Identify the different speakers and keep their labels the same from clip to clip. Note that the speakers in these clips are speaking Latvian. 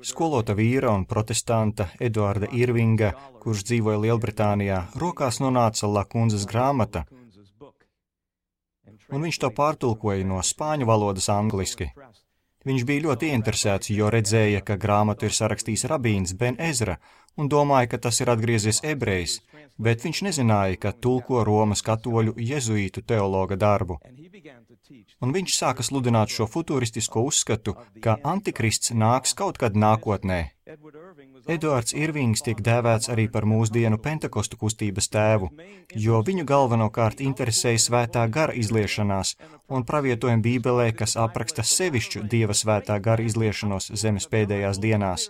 Speaker 1: Skolota vīra un protestanta Eduarda Irvinga, kurš dzīvoja Lielbritānijā, rokās nonāca Lakundzes grāmata, un viņš to pārtulkoja no spāņu valodas angliski. Viņš bija ļoti ieinteresēts, jo redzēja, ka grāmatu ir sarakstījis rabīns Ben Ezra, un domāja, ka tas ir atgriezies ebrejs, bet viņš nezināja, ka tulko Romas katoļu jezuītu teologa darbu. Un viņš sāka sludināt šo futuristisko uzskatu, ka antikrists nāks kaut kad nākotnē. Eduards Irvings tiek dēvēts arī par mūsdienu Pentekostu kustības tēvu, jo viņu galvenokārt interesēja svētā gara izliešanās un pravietojumi Bībelē, kas apraksta sevišķu Dieva svētā gara izliešanos zemes pēdējās dienās.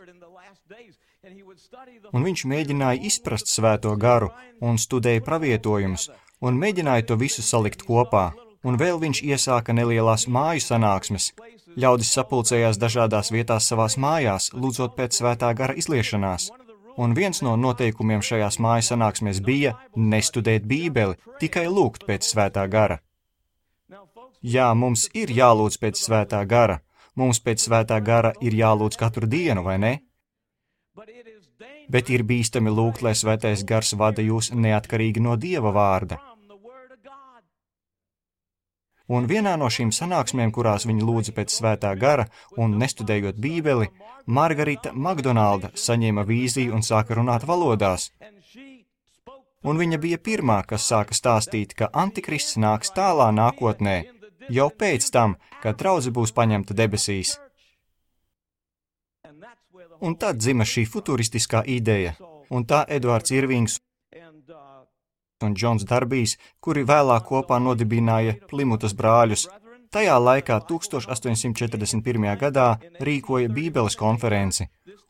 Speaker 1: Un viņš mēģināja izprast svēto garu un studēja pravietojumus un mēģināja to visu salikt kopā. Un vēl viņš iesāka nelielās māju sanāksmes. Ļaudis sapulcējās dažādās vietās savās mājās, lūdzot pēc svētā gara izliešanās. Un viens no noteikumiem šajās māju sanāksmēs bija nestudēt Bībeli, tikai lūgt pēc svētā gara. Jā, mums ir jālūdz pēc svētā gara. Mums pēc svētā gara ir jālūdz katru dienu, vai ne? Bet ir bīstami lūgt, lai svētais gars vada jūs neatkarīgi no Dieva vārda. Un vienā no šīm sanāksmēm, kurās viņi lūdza pēc svētā gara un nestudējot Bībeli, Margarita Makdonalda saņēma vīziju un sāka runāt valodās. Un viņa bija pirmā, kas sāka stāstīt, ka antikrists nāks tālā nākotnē, jau pēc tam, kad draudze būs paņemta debesīs. Un tad dzima šī futuristiskā ideja, un tā Eduards Irvings un Džons Darbijs, kuri vēlāk kopā nodibināja Plimutas brāļus, tajā laikā 1841. gadā rīkoja Bībeles konferenci,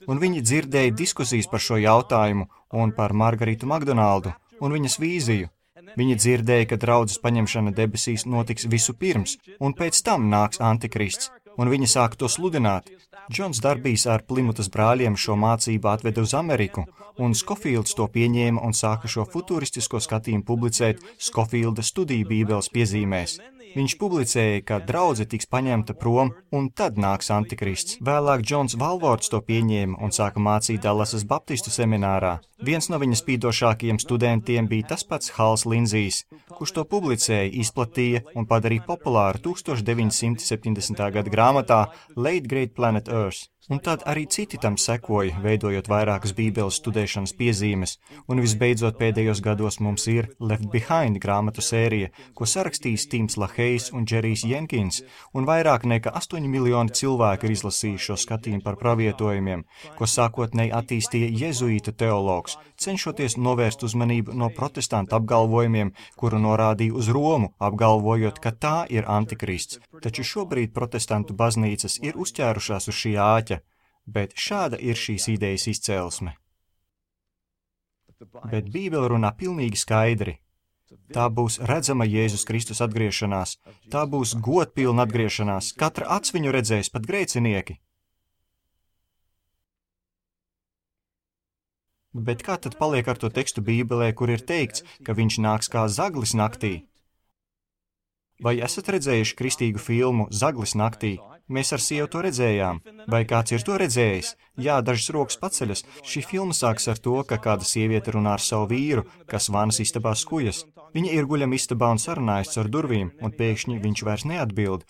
Speaker 1: un viņi dzirdēja diskusijas par šo jautājumu un par Margaritu Makdonaldu un viņas vīziju. Viņi dzirdēja, ka draudzes paņemšana debesīs notiks visu pirms, un pēc tam nāks antikrists, un viņi sāka to sludināt. Džons Darbijs ar Plimutas brāļiem šo mācību atveda uz Ameriku, un Skofīlds to pieņēma un sāka šo futuristisko skatījumu publicēt Skofīlda studiju Bībeles piezīmēs. Viņš publicēja, ka draudze tiks paņemta prom, un tad nāks antikrists. Vēlāk Džons Valvords to pieņēma un sāka mācīt Dallasas Baptistu seminārā. Viens no viņa spīdošākajiem studentiem bija tas pats Hals Linzijs, kurš to publicēja, izplatīja un padarīja populāru 1970. gada grāmatā Late Great Planet Earth. Un tad arī citi tam sekoja, veidojot vairākas Bībeles studēšanas piezīmes, un visbeidzot pēdējos gados mums ir Left Behind grāmatu sērija, ko sarakstījis Tims Lahejs un Džerijs Jenkins, un vairāk nekā 8 miljoni cilvēku ir izlasījuši šo skatījumu par pravietojumiem, ko sākotnēji attīstīja jezuītu teologs, cenšoties novērst uzmanību no protestantu apgalvojumiem, kuru norādīja uz Romu, apgalvojot, ka tā ir antikrists. Taču šobrīd protestantu baznīcas ir uzķērušās uz šī āķa, bet šāda ir šīs idejas izcelsme. Bet Bībele runā pilnīgi skaidri. Tā būs redzama Jēzus Kristus atgriešanās, tā būs godpilna atgriešanās, katra acs viņu redzēs, pat grēcinieki. Bet kā tad paliek ar to tekstu Bībelē, kur ir teikts, ka viņš nāks kā zaglis naktī? Vai esat redzējuši kristīgu filmu Zaglis naktī? Mēs ar sievu to redzējām. Vai kāds ir to redzējis? Jā, dažas rokas paceļas. Šī filma sāks ar to, ka kāda sieviete runā ar savu vīru, kas vanas istabā skujas. Viņa ir guļam istabā un sarunājas ar durvīm, un pēkšņi viņš vairs neatbild.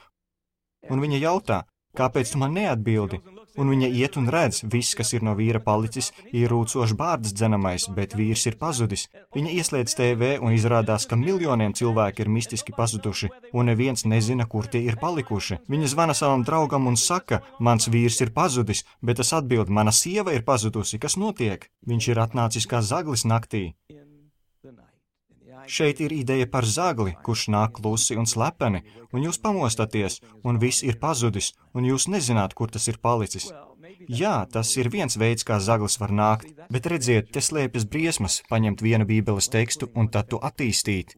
Speaker 1: Un viņa jautā, kāpēc tu man neatbildi? Un viņa iet un redz, viss, kas ir no vīra palicis, ir rūcošs bārdas dzenamais, bet vīrs ir pazudis. Viņa ieslēdz TV un izrādās, ka miljoniem cilvēki ir mistiski pazuduši, un neviens nezina, kur tie ir palikuši. Viņa zvana savam draugam un saka, mans vīrs ir pazudis, bet tas atbild, mana sieva ir pazudusi, kas notiek? Viņš ir atnācis kā zaglis naktī. Šeit ir ideja par zagli, kurš nāk klusi un slepeni, un jūs pamostaties, un viss ir pazudis, un jūs nezināt, kur tas ir palicis. Jā, tas ir viens veids, kā zaglis var nākt, bet redziet, te slēpjas briesmas, paņemt vienu Bībeles tekstu un tad to attīstīt.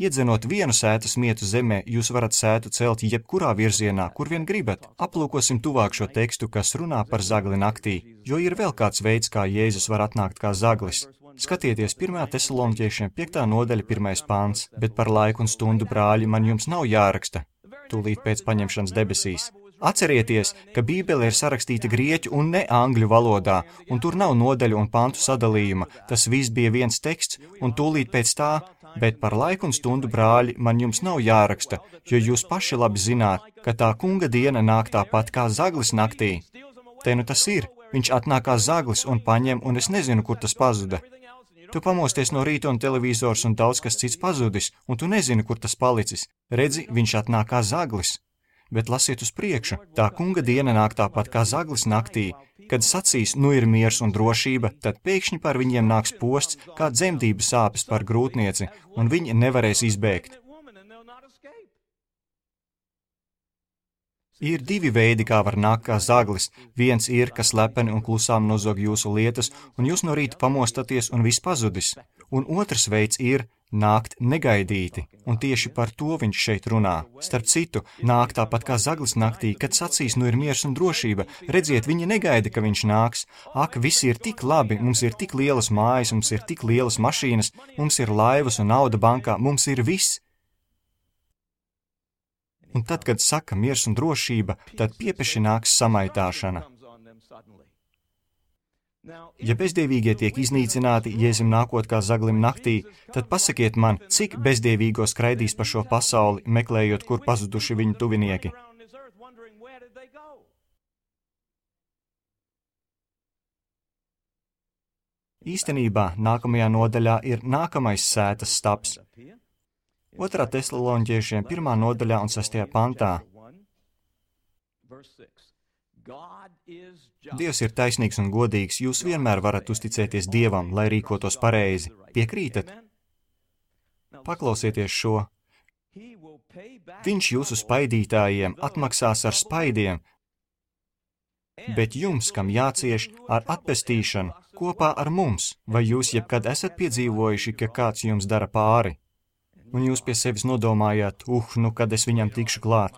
Speaker 1: Iedzenot vienu sētu smietu zemē, jūs varat sētu celt jebkurā virzienā, kur vien gribat. Aplūkosim tuvāk šo tekstu, kas runā par zagli naktī, jo ir vēl kāds veids, kā Jēzus var atnākt kā zaglis. Skatieties 1. Tesaloniķiešiem 5. nodaļa 1. pāns, bet par laiku un stundu, brāļi, man jums nav jāraksta, tūlīt pēc paņemšanas debesīs. Atcerieties, ka Bībele ir sarakstīta grieķu un ne angļu valodā, un tur nav nodaļu un pantu sadalījuma. Tas viss bija viens teksts, un tūlīt pēc tā, bet par laiku un stundu, brāļi, man jums nav jāraksta, jo jūs paši labi zināt, ka tā kunga diena nāk tāpat kā zaglis naktī. Te nu tas ir, viņš atnāk kā zaglis un paņem, un es nezinu, kur tas pazuda. Tu pamosties no rīta un televizors un daudz kas cits pazudis, un tu nezini, kur tas palicis. Redzi, viņš atnāk kā zaglis. Bet lasiet uz priekšu, tā kunga diena nāk tāpat kā zaglis naktī. Kad sacīs, nu ir miers un drošība, tad pēkšņi par viņiem nāks posts, kā dzemdību sāpes par grūtnieci, un viņi nevarēs izbēgt. Ir divi veidi, kā var nākt kā zaglis. Viens ir, kas lepeni un klusām nozog jūsu lietas, un jūs no rīta pamostaties un viss pazudis. Un otrs veids ir nākt negaidīti, un tieši par to viņš šeit runā. Starp citu, nāk tāpat kā zaglis naktī, kad sacīs, nu ir miers un drošība. Redziet, viņi negaida, ka viņš nāks. Ak, visi ir tik labi, mums ir tik lielas mājas, mums ir tik lielas mašīnas, mums ir laivas un nauda bankā, mums ir viss. Un tad, kad saka miers un drošība, tad piepeši nāks samaitāšana. Ja bezdievīgie tiek iznīcināti, Jēzum nākot kā zaglim naktī, tad pasakiet man, cik bezdievīgo skraidīs pa šo pasauli, meklējot, kur pazuduši viņu tuvinieki. Īstenībā nākamajā nodaļā ir nākamais sētas stabs. 2. Tesaloniķiešiem 1. nodaļā un 6. pantā. Dievs ir taisnīgs un godīgs, jūs vienmēr varat uzticēties Dievam, lai rīkotos pareizi. Piekrītat? Paklausieties šo. Viņš jūsu spaidītājiem atmaksās ar spaidiem, bet jums, kam jācieš ar atpestīšanu, kopā ar mums, vai jūs jebkad esat piedzīvojuši, ka kāds jums dara pāri? Un jūs pie sevis nodomājāt, nu, kad es viņam tikšu klāt.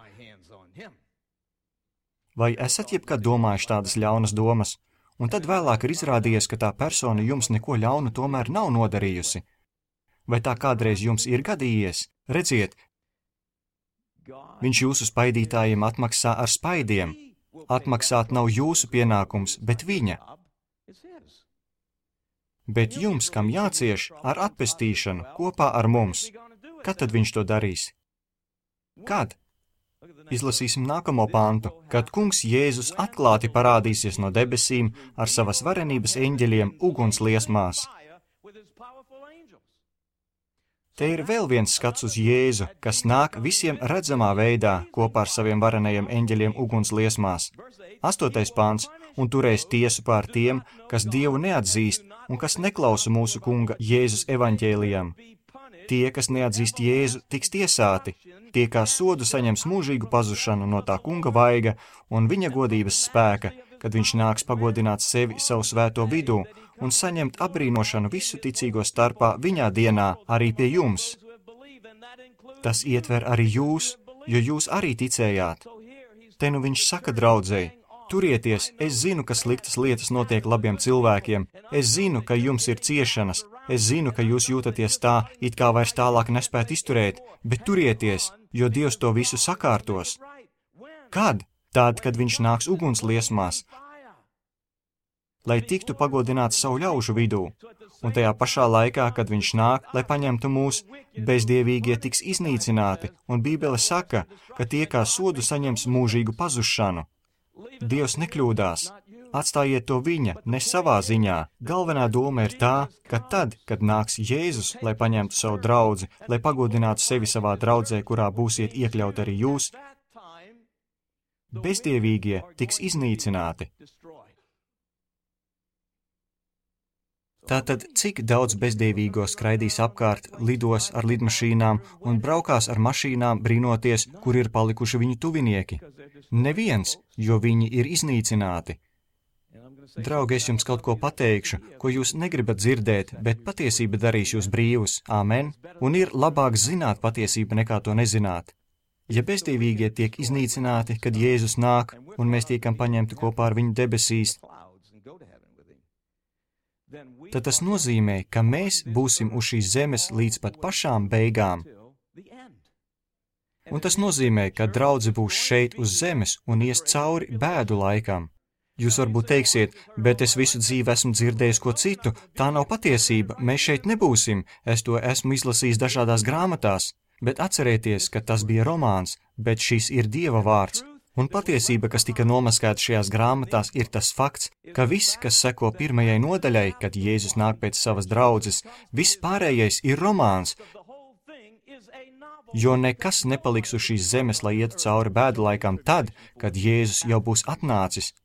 Speaker 1: Vai esat jebkad domājuši tādas ļaunas domas? Un tad vēlāk ir izrādījies, ka tā persona jums neko ļaunu tomēr nav nodarījusi. Vai tā kādreiz jums ir gadījies? Redziet, viņš jūsu spaidītājiem atmaksā ar spaidiem. Atmaksāt nav jūsu pienākums, bet viņa. Bet jums, kam jācieš, ar atpestīšanu, kopā ar mums. Kad tad viņš to darīs? Kad? Izlasīsim nākamo pantu, kad kungs Jēzus atklāti parādīsies no debesīm ar savas varenības eņģeļiem uguns liesmās. Te ir vēl viens skats uz Jēzu, kas nāk visiem redzamā veidā kopā ar saviem varenajiem eņģeļiem uguns liesmās. 8. pants, un turēs tiesu pār tiem, kas Dievu neatzīst un kas neklausa mūsu kunga Jēzus evaņģēlijam. Tie, kas neatzīst Jēzu, tiks tiesāti. Tie, kā sodu saņems mūžīgu pazušanu no tā kunga vaiga un viņa godības spēka, kad viņš nāks pagodināt sevi savu svēto vidū un saņemt apbrīnošanu visu ticīgo starpā viņā dienā arī pie jums. Tas ietver arī jūs, jo jūs arī ticējāt. Te nu viņš saka draudzei, turieties, es zinu, ka sliktas lietas notiek labiem cilvēkiem, es zinu, ka jums ir ciešanas, es zinu, ka jūs jūtaties tā, it kā vairs tālāk nespēt izturēt, bet turieties, jo Dievs to visu sakārtos. Kad? Tad, kad viņš nāks uguns liesmās, lai tiktu pagodināts savu ļaužu vidū, un tajā pašā laikā, kad viņš nāk, lai paņemtu mūs, bezdievīgie tiks iznīcināti, un Bībele saka, ka tie kā sodu saņems mūžīgu pazušanu. Dievs nekļūdās. Atstājiet to viņa, ne savā ziņā. Galvenā doma ir tā, ka tad, kad nāks Jēzus, lai paņemtu savu draudzi, lai pagodinātu sevi savā draudzē, kurā būsiet iekļaut arī jūs, bezdievīgie tiks iznīcināti. Tātad, cik daudz bezdievīgo skraidīs apkārt, lidos ar lidmašīnām un braukās ar mašīnām, brīnoties, kur ir palikuši viņu tuvinieki? Neviens, jo viņi ir iznīcināti. Draugi, es jums kaut ko pateikšu, ko jūs negribat dzirdēt, bet patiesība darīs jūs brīvus. Āmen. Un ir labāk zināt patiesību nekā to nezināt. Ja bezdievīgie tiek iznīcināti, kad Jēzus nāk, un mēs tiekam paņemti kopā ar viņu debesīs, tad tas nozīmē, ka mēs būsim uz šīs zemes līdz pat pašām beigām. Un tas nozīmē, ka draudze būs šeit uz zemes un ies cauri bēdu laikam. Jūs varbūt teiksiet, bet es visu dzīvi esmu dzirdējis ko citu, tā nav patiesība, mēs šeit nebūsim, es to esmu izlasījis dažādās grāmatās, bet atcerieties, ka tas bija romāns, bet šis ir Dieva vārds. Un patiesība, kas tika nomaskēta šajās grāmatās, ir tas fakts, ka viss, kas seko 1. nodaļai, kad Jēzus nāk pēc savas draudzes, viss pārējais ir romāns, jo nekas nepaliks uz šīs zemes, lai ietu cauri bēdu laikam tad, kad Jēzus jau būs atnācis.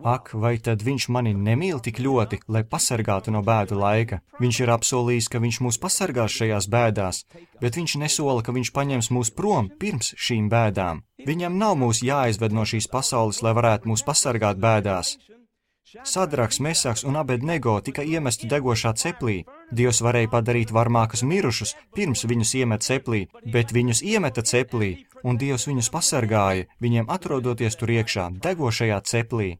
Speaker 1: Ak, vai tad viņš mani nemīl tik ļoti, lai pasargātu no bēdu laika? Viņš ir apsolījis, ka viņš mūs pasargās šajās bēdās, bet viņš nesola, ka viņš paņems mūs prom pirms šīm bēdām. Viņam nav mūs jāizved no šīs pasaules, lai varētu mūs pasargāt bēdās. Sadraks, Mesaks un Abednego tika iemesti degošā ceplī. Dievs varēja padarīt varmākus mirušus, pirms viņus iemet ceplī, bet viņus iemeta ceplī, un Dievs viņus pasargāja, viņiem atrodoties tur iekšā, degošajā ceplī.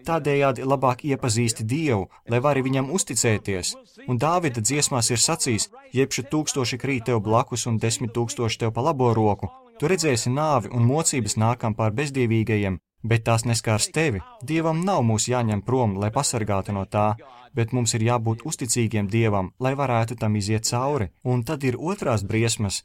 Speaker 1: Tādējādi labāk iepazīsti Dievu, lai vari viņam uzticēties, un Dāvida dziesmās ir sacījis, jebšu 1000 krīt tev blakus un 10 000 tev pa labo roku. Tu redzēsi nāvi un mocības nākam pār bezdievīgajiem, bet tās neskārs tevi. Dievam nav mūs jāņem prom, lai pasargātu no tā, bet mums ir jābūt uzticīgiem Dievam, lai varētu tam iziet cauri. Un tad ir otrās briesmas,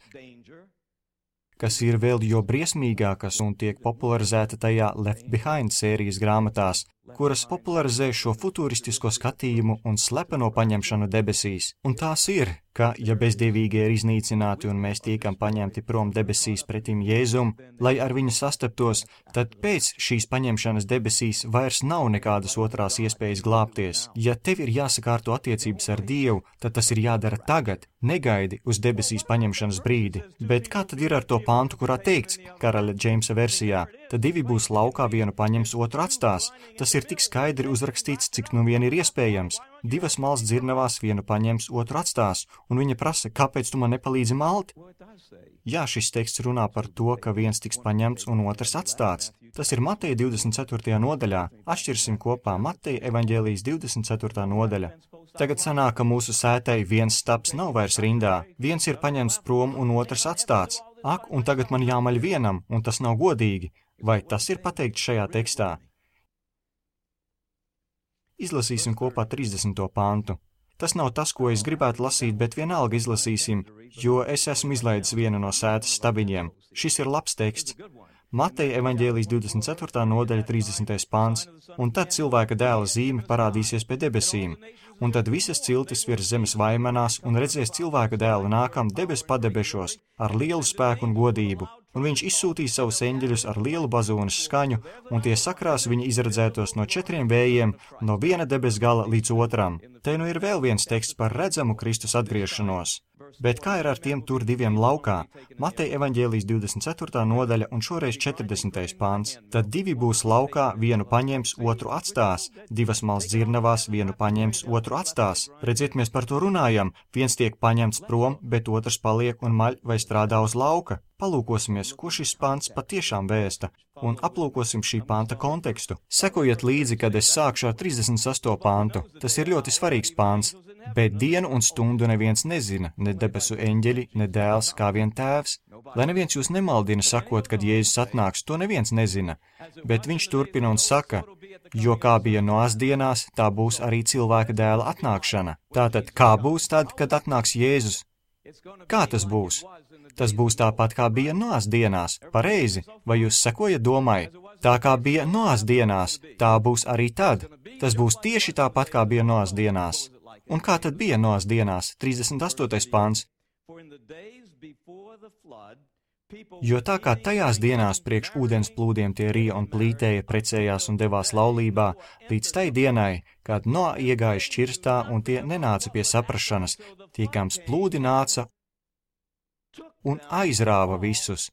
Speaker 1: kas ir vēl jo briesmīgākas un tiek popularizēta tajā Left Behind sērijas grāmatās, kuras popularizē šo futuristisko skatījumu un slepeno paņemšanu debesīs. Un tās ir, ka, ja bezdievīgie ir iznīcināti un mēs tiekam paņemti prom debesīs pretim Jēzum, lai ar viņu sastaptos, tad pēc šīs paņemšanas debesīs vairs nav nekādas otrās iespējas glābties. Ja tev ir jāsakārto attiecības ar Dievu, tad tas ir jādara tagad, negaidi uz debesīs paņemšanas brīdi. Bet kā tad ir ar to pāntu, kurā teikts, karaļa Džeimsa versijā, tad 2 būs laukā, vienu paņems, otru atstās. Tas ir tik skaidri uzrakstīts, cik nu vien ir iespējams. 2 malas dzirnavās, vienu paņems, otru atstās, un viņa prasa, kāpēc tu man nepalīdzi malt? Jā, šis teksts runā par to, ka viens tiks paņemts un otrs atstāts. Tas ir Mateja 24. nodaļā. Atšķirsim kopā Mateja evaņģēlijas 24. nodaļa. Tagad sanāk, ka mūsu sētai viens stabs nav vairs rindā. Viens ir paņemts prom un otrs atstāts. Ak, un tagad man jāmaļ vienam, un tas nav godīgi. Vai tas ir pateikts šajā tekstā? Izlasīsim kopā 30. pantu. Tas nav tas, ko es gribētu lasīt, bet vienalga izlasīsim, jo es esmu izlaidis vienu no sētas stabiņiem. Šis ir labs teksts. Mateja evaņģēlijas 24. nodaļa 30. pants. Un tad cilvēka dēla zīme parādīsies pie debesīm. Un tad visas ciltis virs zemes vaimanās un redzēs cilvēka dēlu nākam debes padebešos ar lielu spēku un godību. Un viņš izsūtīs savus eņģeļus ar lielu bazūnes skaņu, un tie sakrās viņa izredzētos no 4 vējiem, no viena debes gala līdz otram. Te nu ir vēl viens teksts par redzamu Kristus atgriešanos. Bet kā ir ar tiem tur 2 laukā? Mateja evaņģēlijas 24. nodaļa un šoreiz 40. pāns. Tad 2 būs laukā, vienu paņems, otru atstās. 2 malas dzirnavās, vienu paņems, otru atstās. Redziet, mēs par to runājam. Viens tiek paņemts prom, bet otrs paliek un maļ vai strādā uz lauka. Palūkosimies, ko šis pants patiešām vēsta, un aplūkosim šī panta kontekstu. Sekojiet līdzi, kad es sākšu ar 38. pantu. Tas ir ļoti svarīgs pants. Bet dienu un stundu neviens nezina, ne debesu eņģeļi, ne dēls, kā vien tēvs. Lai neviens jūs nemaldina sakot, kad Jēzus atnāks, to neviens nezina. Bet viņš turpina un saka, jo kā bija Noās dienās, tā būs arī cilvēka dēla atnākšana. Tātad, kā būs tad, kad atnāks Jēzus? Kā tas būs? Tas būs tāpat, kā bija Noās dienās. Pareizi, vai jūs sekojat domai? Tā kā bija Noās dienās, tā būs arī tad. Tas būs tieši tāpat, kā bija Noās dienās. Un kā tad bija Noās dienās? 38. pāns. Jo tā kā tajās dienās priekš ūdens plūdiem tie rija un plītēja, precējās un devās laulībā, līdz tai dienai, kad Noā iegāja šķirstā un tie nenāca pie saprašanas, tiekams plūdi nāca un aizrāva visus.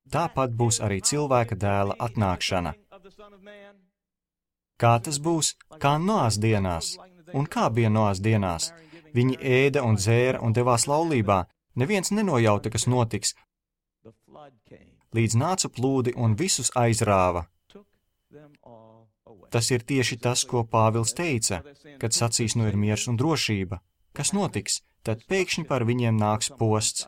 Speaker 1: Tāpat būs arī cilvēka dēla atnākšana. Kā tas būs? Kā Noās dienās. Un kā bija Noās dienās? Viņi ēda un dzēra un devās laulībā. Neviens nenojauta, kas notiks. Līdz nāca plūdi un visus aizrāva. Tas ir tieši tas, ko Pāvils teica, kad sacīs nu ir miers un drošība. Kas notiks? Tad pēkšņi par viņiem nāks posts.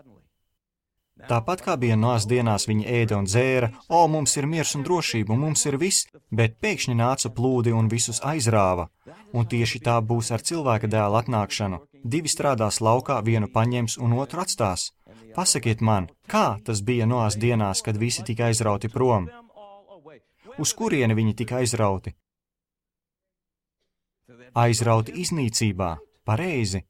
Speaker 1: Tāpat kā bija Noas dienās viņi ēda un dzēra, mums ir miers un drošība, mums ir viss, bet pēkšņi nāca plūdi un visus aizrāva. Un tieši tā būs ar cilvēka dēla atnākšanu. 2 strādās laukā, vienu paņems un otru atstās. Pasakiet man, kā tas bija Noas dienās, kad visi tika aizrauti prom? Uz kurieni viņi tika aizrauti? Aizrauti iznīcībā, pareizi.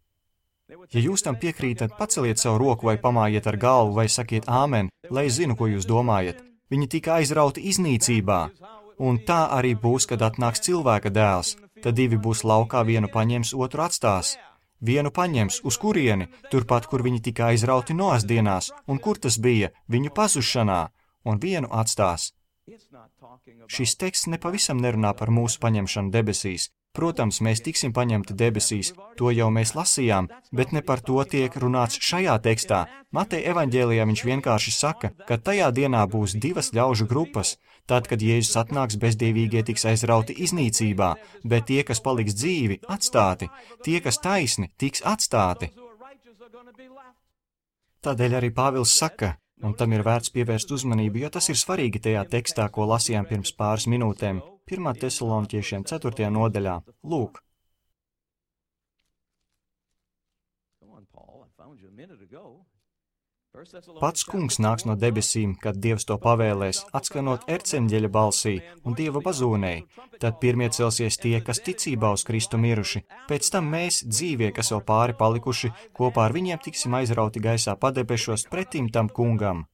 Speaker 1: Ja jūs tam piekrītat, paceliet savu roku vai pamājiet ar galvu vai sakiet āmen, lai es zinu, ko jūs domājat. Viņi tika aizrauti iznīcībā. Un tā arī būs, kad atnāks cilvēka dēls. Tad 2 būs laukā, vienu paņems, otru atstās. Vienu paņems, uz kurieni? Turpat, kur viņi tika aizrauti Noas dienās. Un kur tas bija? Viņu pazušanā. Un vienu atstās. Šis teksts nepavisam nerunā par mūsu paņemšanu debesīs. Protams, mēs tiksim paņemti debesīs, to jau mēs lasījām, bet ne par to tiek runāts šajā tekstā. Mateja evaņģēlijā viņš vienkārši saka, ka tajā dienā būs 2 ļaužu grupas. Tad, kad Jēzus atnāks, bezdievīgie tiks aizrauti iznīcībā, bet tie, kas paliks dzīvi, atstāti, tie, kas taisni, tiks atstāti. Tādēļ arī Pāvils saka, un tam ir vērts pievērst uzmanību, jo tas ir svarīgi tajā tekstā, ko lasījām pirms pāris minūtēm. 1. Tesaloniķiešiem 4. nodaļā. Lūk. Pats kungs nāks no debesīm, kad Dievs to pavēlēs, atskanot erceņģeļa balsī un Dieva bazūnei. Tad pirmie celsies tie, kas ticībā uz Kristu miruši. Pēc tam mēs, dzīvie, kas vēl pāri palikuši, kopā ar viņiem tiksim aizrauti gaisā padebešos pretim tam kungam.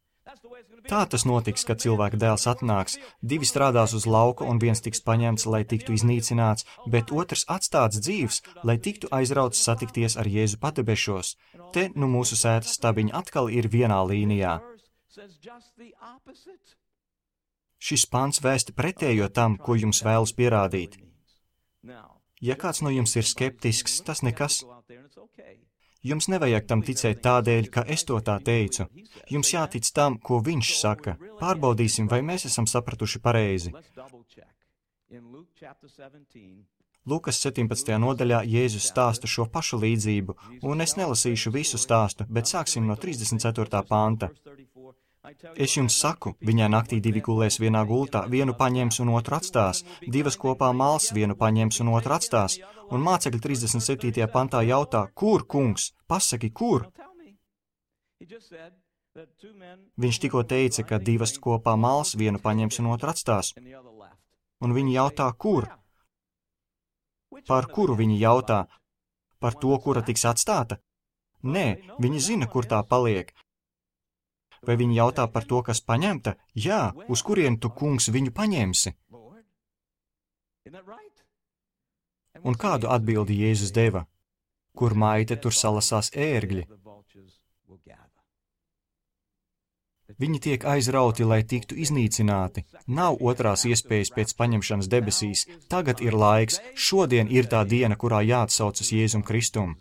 Speaker 1: Tā tas notiks, kad cilvēka dēls atnāks. 2 strādās uz lauka un viens tiks paņemts, lai tiktu iznīcināts, bet otrs atstāts dzīvs, lai tiktu aizrauts satikties ar Jēzu padebešos. Te nu mūsu sētas stabiņi atkal ir vienā līnijā. Šis pants vēsti pretējo tam, ko jums vēlas pierādīt. Ja kāds no jums ir skeptisks, tas nekas. Jums nevajag tam ticēt tādēļ, ka es to tā teicu. Jums jātic tam, ko viņš saka. Pārbaudīsim, vai mēs esam sapratuši pareizi. Lukas 17. nodaļā Jēzus stāsta šo pašu līdzību, un es nelasīšu visu stāstu, bet sāksim no 34. panta. Es jums saku, viņai naktī 2 gulēs vienā gultā, vienu paņems un otru atstās, 2 kopā mals, vienu paņems un otru atstās, un mācekļi 37. pantā jautā, kur, kungs? Pasaki, kur? Viņš tikko teica, ka 2 kopā mals, vienu paņems un otru atstās, un viņi jautā, kur? Par kuru viņi jautā? Par to, kura tiks atstāta? Nē, viņi zina, kur tā paliek. Vai viņi jautā par to, kas paņemta? Jā, uz kurieni tu, kungs, viņu paņemsi? Un kādu atbildi Jēzus deva? Kur maite, tur salasās ērgļi. Viņi tiek aizrauti, lai tiktu iznīcināti. Nav otrās iespējas pēc paņemšanas debesīs. Tagad ir laiks, šodien ir tā diena, kurā jāatsaucas Jēzum Kristum.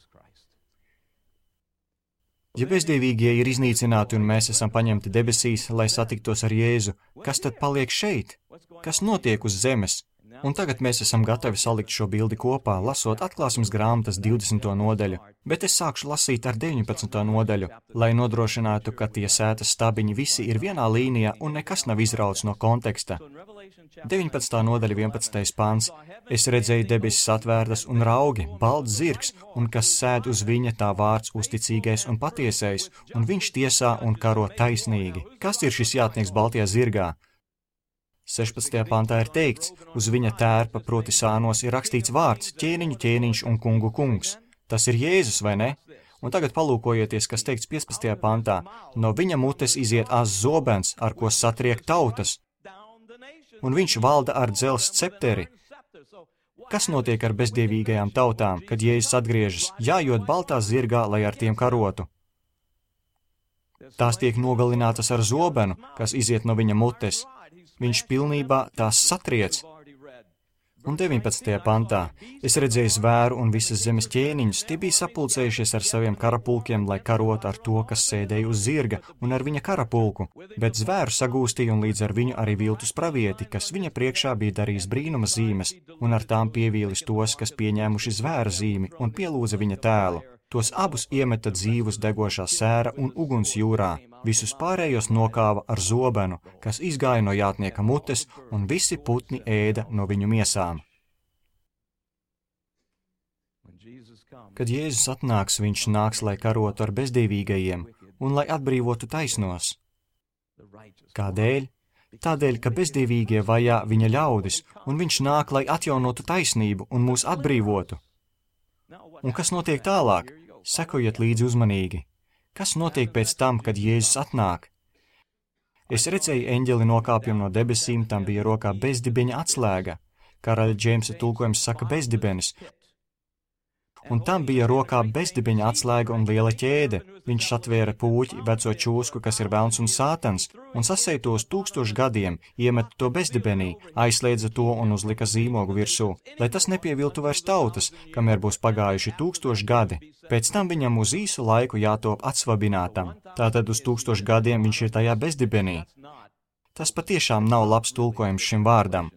Speaker 1: Ja bezdievīgie ir iznīcināti un mēs esam paņemti debesīs, lai satiktos ar Jēzu, kas tad paliek šeit? Kas notiek uz zemes? Un tagad mēs esam gatavi salikt šo bildi kopā, lasot Atklāsmes grāmatas 20. nodaļu, bet es sākšu lasīt ar 19. nodaļu, lai nodrošinātu, ka tie sētas stabiņi visi ir vienā līnijā un nekas nav izrauts no konteksta. 19. nodaļa 11. pāns. Es redzēju debesis atvērtas un raugi, balts zirgs, un kas sēd uz viņa tā vārds uzticīgais un patiesais, un viņš tiesā un karo taisnīgi. Kas ir šis jātnieks baltajā zirgā? 16. pantā ir teikts, uz viņa tērpa, proti sānos, ir rakstīts vārds ķēniņu ķēniņš un kungu kungs. Tas ir Jēzus, vai ne? Un tagad palūkojieties, kas teikts 15. pantā. No viņa mutes iziet āzs zobens, ar ko satriek tautas. Un viņš valda ar dzelzs cepteri. Kas notiek ar bezdievīgajām tautām, kad Jēzus atgriežas, jājot baltā zirgā, lai ar tiem karotu? Tās tiek nogalinātas ar zobenu, kas iziet no viņa mutes. Viņš pilnībā tās satriec. Un 19. pantā es redzēju zvēru un visas zemes ķēniņus, tie bija sapulcējušies ar saviem karapulkiem, lai karotu ar to, kas sēdēja uz zirga un ar viņa karapulku, bet zvēru sagūstīja un līdz ar viņu arī viltus pravieti, kas viņa priekšā bija darījis brīnuma zīmes, un ar tām pievīlis tos, kas pieņēmuši zvēra zīmi un pielūdza viņa tēlu. Tos abus iemeta dzīvus degošā sēra un uguns jūrā, visus pārējos nokāva ar zobenu, kas izgāja no jātnieka mutes, un visi putni ēda no viņu miesām. Kad Jēzus atnāks, viņš nāks, lai karotu ar bezdīvīgajiem un lai atbrīvotu taisnos. Kādēļ? Tādēļ, ka bezdīvīgie vajā viņa ļaudis, un viņš nāk, lai atjaunotu taisnību un mūs atbrīvotu. Un kas notiek tālāk? Sekojiet līdzi uzmanīgi. Kas notiek pēc tam, kad Jēzus atnāk? Es redzēju eņģeli nokāpjam no debesīm, tam bija rokā bezdibeņa atslēga. Karaļa Džeimsa tulkojums saka bezdibenis. Un tam bija rokā bezdibeņa atslēga un liela ķēde. Viņš atvēra pūķi, veco čūsku, kas ir velns un sātans, un sasēja to uz 1000 gadiem, iemeta to bezdibenī, aizslēdza to un uzlika zīmogu virsū, lai tas nepieviltu vairs tautas, kamēr būs pagājuši 1000 gadi. Pēc tam viņam uz īsu laiku jātop atsvabinātam. Tātad uz 1000 gadiem viņš ir tajā bezdibenī. Tas patiešām nav labs tulkojums šim vārdam.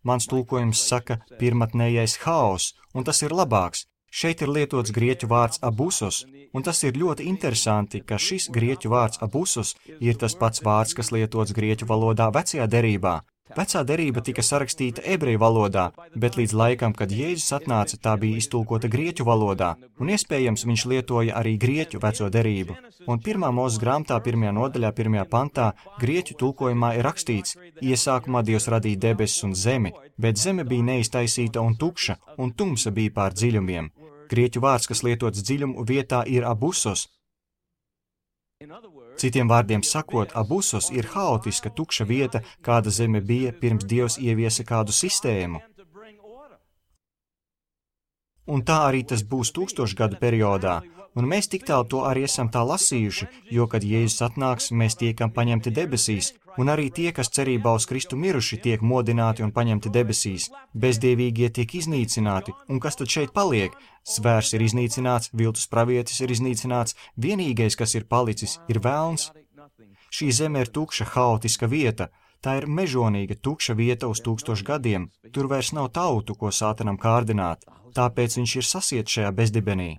Speaker 1: Mans tulkojums saka pirmatnējais haoss, un tas ir labāks. Šeit ir lietots grieķu vārds abusos, un tas ir ļoti interesanti, ka šis grieķu vārds abusos ir tas pats vārds, kas lietots grieķu valodā vecajā derībā. Vecā derība tika sarakstīta ebreju valodā, bet līdz laikam, kad Jēzus atnāca, tā bija iztulkota grieķu valodā, un iespējams viņš lietoja arī grieķu veco derību. Un 1. Mūzes grāmatā 1. nodaļā 1. pantā grieķu tulkojumā ir rakstīts: iesākumā Dievs radīja debesis un zemi, bet zeme bija neiztaisīta un tukša, un tumsa bija pār dziļumiem. Grieķu vārds, kas lietots dziļumu vietā, ir abusos. Citiem vārdiem sakot, abusos ir haotiska, tukša vieta, kāda zeme bija, pirms Dievs ieviesa kādu sistēmu. Un tā arī tas būs 1000 gadu periodā, un mēs tik tālu to arī esam tā lasījuši, jo, kad Jēzus atnāks, mēs tiekam paņemti debesīs, un arī tie, kas cerībā uz Kristu miruši, tiek modināti un paņemti debesīs. Bezdievīgie tiek iznīcināti, un kas tad šeit paliek? Zvērs ir iznīcināts, viltus pravietis ir iznīcināts, vienīgais, kas ir palicis, ir velns. Šī zeme ir tukša, haotiska vieta. Tā ir mežonīga, tukša vieta uz 1000 gadiem. Tur vairs nav tautu, ko sātanam kārdināt. Tāpēc viņš ir sasiets šajā bezdibenī.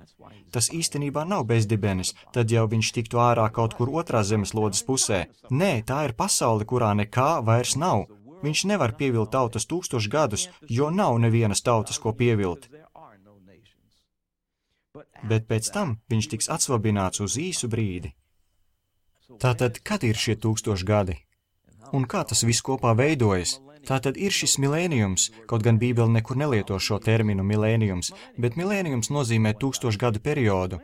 Speaker 1: Tas īstenībā nav bezdibenis, tad jau viņš tiktu ārā kaut kur otrā zemeslodes pusē. Nē, tā ir pasaule, kurā nekā vairs nav. Viņš nevar pievilt tautas 1000 gadus, jo nav nevienas tautas, ko pievilt. Bet pēc tam viņš tiks atsvabināts uz īsu brīdi. Tātad, kad ir šie 1000 gadi? Un kā tas viss kopā veidojas? Tātad ir šis milēnijums, kaut gan Bībele nekur nelieto šo terminu milēnijums, bet milēnijums nozīmē 1000 gadu periodu.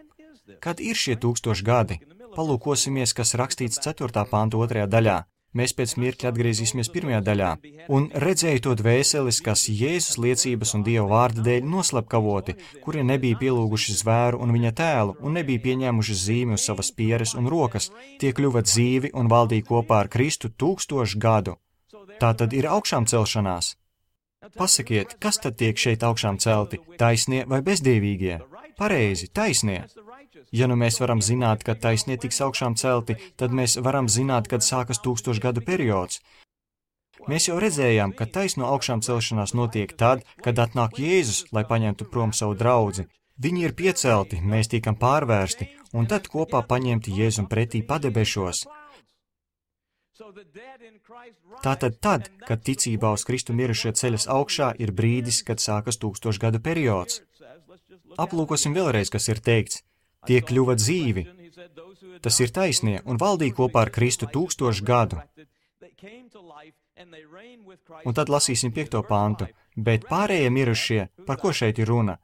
Speaker 1: Kad ir šie 1000 gadi? Palūkosimies, kas rakstīts 4. pānta 2. daļā. Mēs pēc mirkļa atgriezīsimies 1. daļā. Un redzēju to dvēseles, kas Jēzus liecības un Dieva vārda dēļ noslapkavoti, kuri nebija pielūguši zvēru un viņa tēlu, un nebija pieņēmuši zīmi uz savas pieres un rokas, tie kļuva dzīvi un valdīja kopā ar Kristu 1000 gadu. Tā tad ir augšām celšanās. Pasakiet, kas tad tiek šeit augšām celti, taisnie vai bezdīvīgie? Pareizi, taisnie. Ja nu mēs varam zināt, kad taisnie tiks augšām celti, tad mēs varam zināt, kad sākas 1000 gadu periods. Mēs jau redzējām, ka taisno augšām celšanās notiek tad, kad atnāk Jēzus, lai paņemtu prom savu draudzi. Viņi ir piecelti, mēs tiekam pārvērsti, un tad kopā paņemti Jēzum pretī padebešos. Tātad tad, kad ticībā uz Kristu mirušie ceļas augšā, ir brīdis, kad sākas 1000 gadu periods. Aplūkosim vēlreiz, kas ir teikts. Tie kļuva dzīvi. Tas ir taisnie un valdīja kopā ar Kristu 1000 gadu. Un tad lasīsim 5. pāntu. Bet pārējie mirušie, par ko šeit ir runa?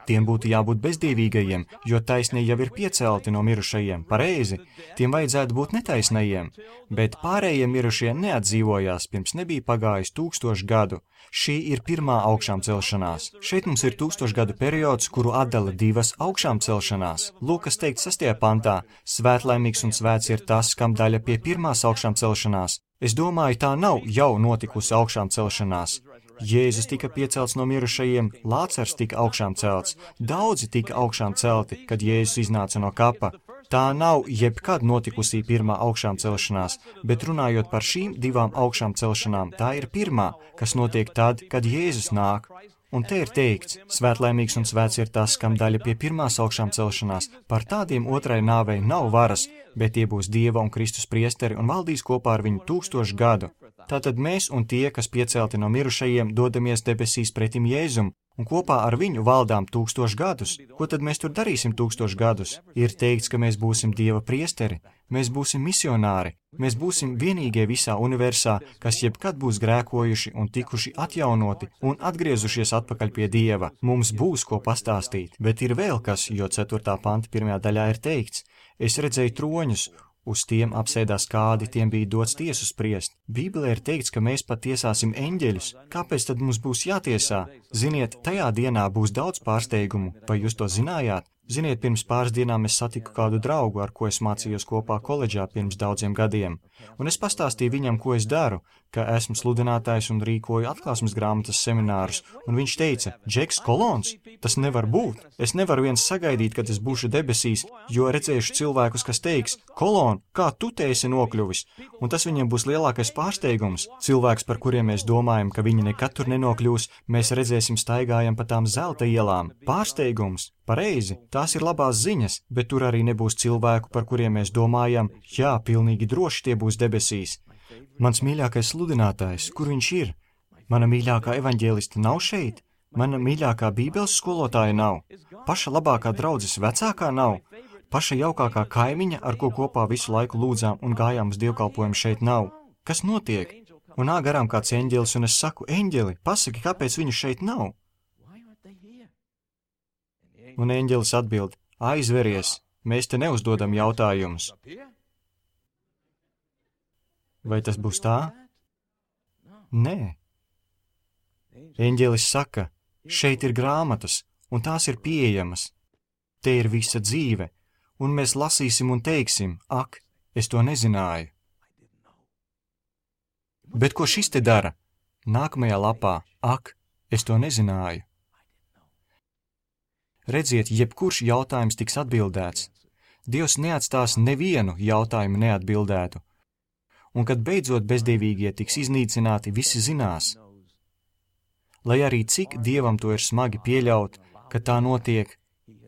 Speaker 1: Tiem būtu jābūt bezdīvīgajiem, jo taisnie jau ir piecelti no mirušajiem, pareizi. Tiem vajadzētu būt netaisnajiem, bet pārējie mirušie neatdzīvojās, pirms nebija pagājis 1000 gadu. Šī ir pirmā augšām celšanās. Šeit mums ir 1000 gadu periods, kuru atdala divas augšām celšanās. Lūk, kas teikt 6. pantā, svētlaimīgs un svēts ir tas, kam daļa pie pirmās augšām celšanās. Es domāju, tā nav jau notikusi augšām celšanās. Jēzus tika piecelts no mirušajiem, Lācars tika augšām celts, daudzi tika augšām celti, kad Jēzus iznāca no kapa. Tā nav jebkad notikusī pirmā augšām celšanās, bet runājot par šīm divām augšām celšanām, tā ir pirmā, kas notiek tad, kad Jēzus nāk. Un te ir teikts, svētlaimīgs un svēts ir tas, kam daļa pie pirmās augšām celšanās, par tādiem otrai nāvei nav varas, bet tie būs Dieva un Kristus priesteri un valdīs kopā ar viņu 1000 gadu. Tātad mēs un tie, kas piecelti no mirušajiem, dodamies debesīs pretim Jēzum, un kopā ar viņu valdām 1000 gadus. Ko tad mēs tur darīsim 1000 gadus? Ir teikts, ka mēs būsim Dieva priesteri, mēs būsim misionāri, mēs būsim vienīgie visā universā, kas jebkad būs grēkojuši un tikuši atjaunoti un atgriezušies atpakaļ pie Dieva. Mums būs ko pastāstīt, bet ir vēl kas, jo 4. panta 1. daļā ir teikts, es redzēju troņus, uz tiem apsēdās kādi, tiem bija dots tiesu spriest. Bībelē ir teikts, ka mēs pat tiesāsim eņģeļus. Kāpēc tad mums būs jātiesā? Ziniet, tajā dienā būs daudz pārsteigumu. Vai jūs to zinājāt? Ziniet, pirms pāris dienām es satiku kādu draugu, ar ko es mācījos kopā koledžā pirms daudziem gadiem. Un es pastāstīju viņam, ko es daru, ka esmu sludinātājs un rīkoju atklāsmes grāmatas seminārus. Un viņš teica, Džeks Kolons, tas nevar būt. Es nevaru viens sagaidīt, kad es būšu debesīs, jo redzējuši cilvēkus, kas teiks, Kolon, kā tu te esi nokļuvis? Un tas viņiem būs lielākais pārsteigums. Cilvēks, par kuriem mēs domājam, ka viņi nekad tur nenokļūs, mēs redzēsim staigājam pa tām zelta ielām. Pārsteigums. Pareizi, tās ir labās ziņas, bet tur arī nebūs cilvēku, par kuriem mēs domājam, jā, pilnīgi droši tie būs debesīs. Mans mīļākais sludinātājs, kur viņš ir? Mana mīļākā evaņģēlista nav šeit? Mana mīļākā bībeles skolotāja nav? Paša labākā draudzes vecākā nav? Paša jaukākā kaimiņa, ar ko kopā visu laiku lūdzām un gājām uz dievkalpojumu šeit nav? Kas notiek? Un nāk garām kāds eņģelis, un es saku, eņģeli, pasaki, kāpēc viņu šeit nav? Un eņģelis atbild, aizveries, mēs te neuzdodam jautājumus. Vai tas būs tā? Nē. Eņģelis saka, šeit ir grāmatas, un tās ir pieejamas. Te ir visa dzīve, un mēs lasīsim un teiksim, ak, es to nezināju. Bet ko šis te dara? Nākamajā lapā, ak, es to nezināju. Redziet, jebkurš jautājums tiks atbildēts. Dievs neatstās nevienu jautājumu neatbildētu. Un kad beidzot bezdievīgie tiks iznīcināti, visi zinās. Lai arī cik Dievam to ir smagi pieļaut, ka tā notiek,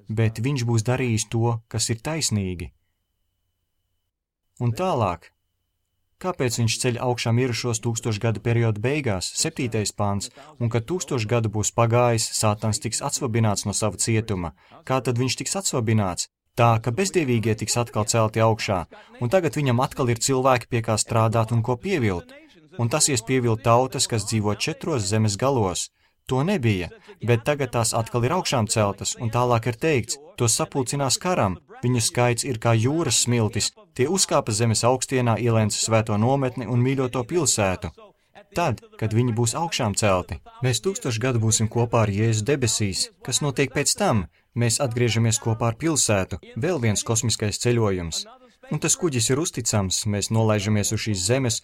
Speaker 1: bet viņš būs darījis to, kas ir taisnīgi. Un tālāk. Kāpēc viņš ceļ augšā mirušos 1000 gadu perioda beigās, 7. pants, un kad 1000 gadu būs pagājis, Sātans tiks atsvabināts no sava cietuma. Kā tad viņš tiks atsvabināts? Tā, ka bezdievīgie tiks atkal celti augšā, un tagad viņam atkal ir cilvēki, pie kā strādāt un ko pievilt. Un tas ies pievilt tautas, kas dzīvo 4 zemes galos. To nebija, bet tagad tās atkal ir augšām celtas, un tālāk ir teikts, to sapulcinās karam, viņu skaits ir kā jūras smiltis, tie uzkāpa zemes augstienā, ielēns svēto nometni un mīļoto pilsētu. Tad, kad viņi būs augšām celti, mēs 1000 gadu būsim kopā ar Jēzu debesīs. Kas notiek pēc tam? Mēs atgriežamies kopā ar pilsētu, vēl viens kosmiskais ceļojums. Un tas kuģis ir uzticams, mēs nolaižamies uz šīs zemes,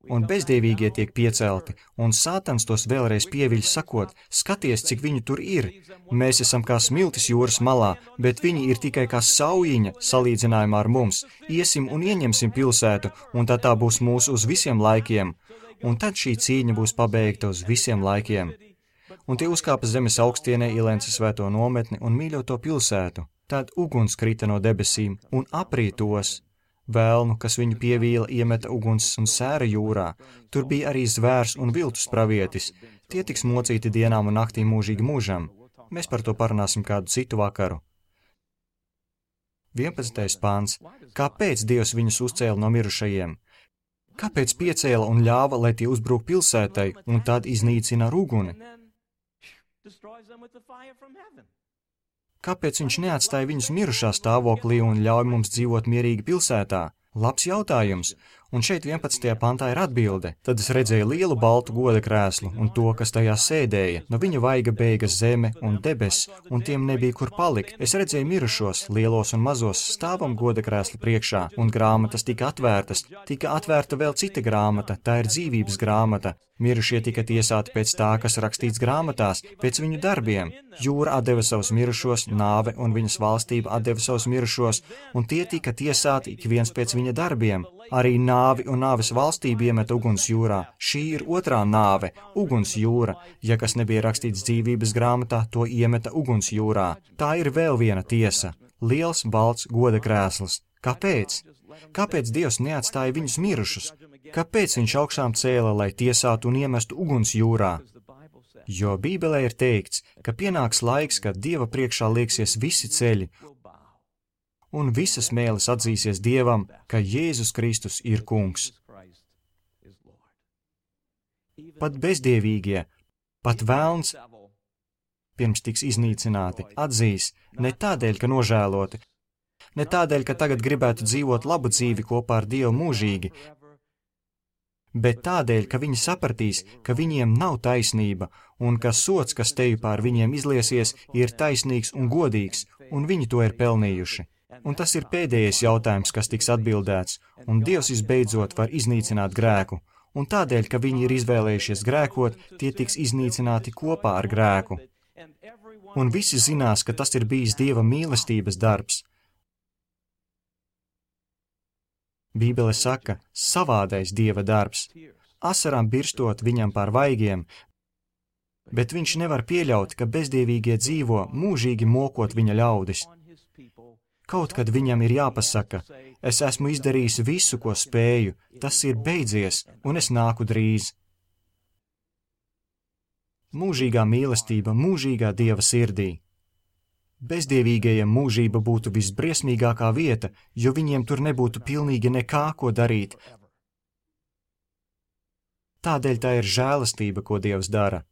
Speaker 1: un bezdievīgie tiek piecelti, un Sātans tos vēlreiz pieviļ sakot, skaties, cik viņu tur ir. Mēs esam kā smiltis jūras malā, bet viņi ir tikai kā saujiņa salīdzinājumā ar mums. Iesim un ieņemsim pilsētu, un tā būs mūsu uz visiem laikiem. Un tad šī cīņa būs pabeigta uz visiem laikiem. Un tie uzkāpa zemes augstienē, ielēca svēto nometni un mīļoto pilsētu. Tad uguns krita no debesīm un aprī tos. Vēlnu, kas viņu pievīla, iemeta uguns un sēra jūrā. Tur bija arī zvērs un viltus pravietis. Tie tiks mocīti dienām un naktī mūžīgi mūžam. Mēs par to parunāsim kādu citu vakaru. 11. pāns. Kāpēc Dievs viņus uzcēla no mirušajiem? Kāpēc piecēla un ļāva, lai tie uzbruk pilsētai un tad iznīcina ar uguni? Kāpēc viņš neatstāja viņus mirušā stāvoklī un ļauj mums dzīvot mierīgi pilsētā? Labs jautājums. Un šeit 11. pantā ir atbilde. Tad es redzēju lielu baltu goda krēslu un to, kas tajā sēdēja. No viņa vaiga beigas zeme un debesis, un tiem nebija kur palikt. Es redzēju mirušos, lielos un mazos, stāvam goda krēslu priekšā, un grāmatas tika atvērtas. Tika atvērta vēl cita grāmata, tā ir dzīvības grāmata. Mirušie tika tiesāti pēc tā, kas rakstīts grāmatās, pēc viņu darbiem. Jūra atdeva savus mirušos, nāve un viņas valstība atdeva savus mirušos, un tie tika tiesāti ik viens pēc viņa darbiem. Arī nāvi un nāves valstība iemeta uguns jūrā. Šī ir otrā nāve, uguns jūra. Ja kas nebija rakstīts dzīvības grāmatā, to iemeta uguns jūrā. Tā ir vēl viena tiesa. Liels, balts goda krēsls. Kāpēc? Kāpēc Dievs neatstāja viņus mirušus? Kāpēc viņš augšām cēla, lai tiesātu un iemestu uguns jūrā? Jo Bībelē ir teikts, ka pienāks laiks, kad Dieva priekšā lieksies visi ceļi, un visas mēles atzīsies Dievam, ka Jēzus Kristus ir kungs. Pat bezdievīgie, pat velns, pirms tiks iznīcināti, atzīs ne tādēļ, ka nožēloti, ne tādēļ, ka tagad gribētu dzīvot labu dzīvi kopā ar Dievu mūžīgi, bet tādēļ, ka viņi sapratīs, ka viņiem nav taisnība, un ka sods, kas teju pār viņiem izliesies, ir taisnīgs un godīgs, un viņi to ir pelnījuši. Un tas ir pēdējais jautājums, kas tiks atbildēts, un Dievs visbeidzot var iznīcināt grēku, un tādēļ, ka viņi ir izvēlējušies grēkot, tie tiks iznīcināti kopā ar grēku. Un visi zinās, ka tas ir bijis Dieva mīlestības darbs. Bībele saka, savādais Dieva darbs, asarām birstot viņam pār vaigiem, bet viņš nevar pieļaut, ka bezdievīgie dzīvo, mūžīgi mokot viņa ļaudis. Kaut kad viņam ir jāpasaka, es esmu izdarījis visu, ko spēju, tas ir beidzies, un es nāku drīz. Mūžīgā mīlestība, mūžīgā Dieva sirdī. Bezdievīgajiem mūžība būtu visbriesmīgākā vieta, jo viņiem tur nebūtu pilnīgi nekā, ko darīt. Tādēļ tā ir žēlastība, ko Dievs dara.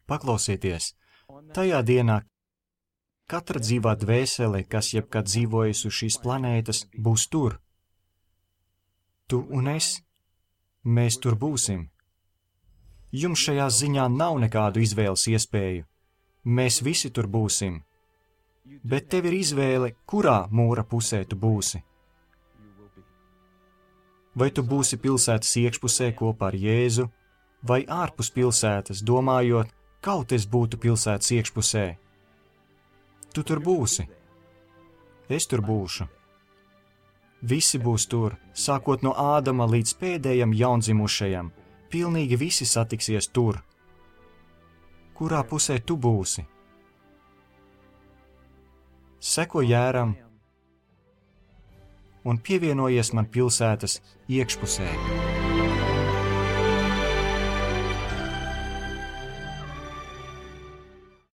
Speaker 1: Paklausieties, tajā dienā katra dzīvā dvēsele, kas jebkad dzīvojas uz šīs planētas, būs tur. Tu un es, mēs tur būsim. Jums šajā ziņā nav nekādu izvēles iespēju. Mēs visi tur būsim, bet tev ir izvēle, kurā mūra pusē tu būsi. Vai tu būsi pilsētas iekšpusē kopā ar Jēzu, vai ārpus pilsētas, domājot, kaut es būtu pilsētas iekšpusē? Tu tur būsi. Es tur būšu. Visi būs tur, sākot no Ādama līdz pēdējam jaundzimušajam. Pilnīgi visi satiksies tur. Kurā pusē tu būsi? Seko Jēram un pievienojies man pilsētas iekšpusē.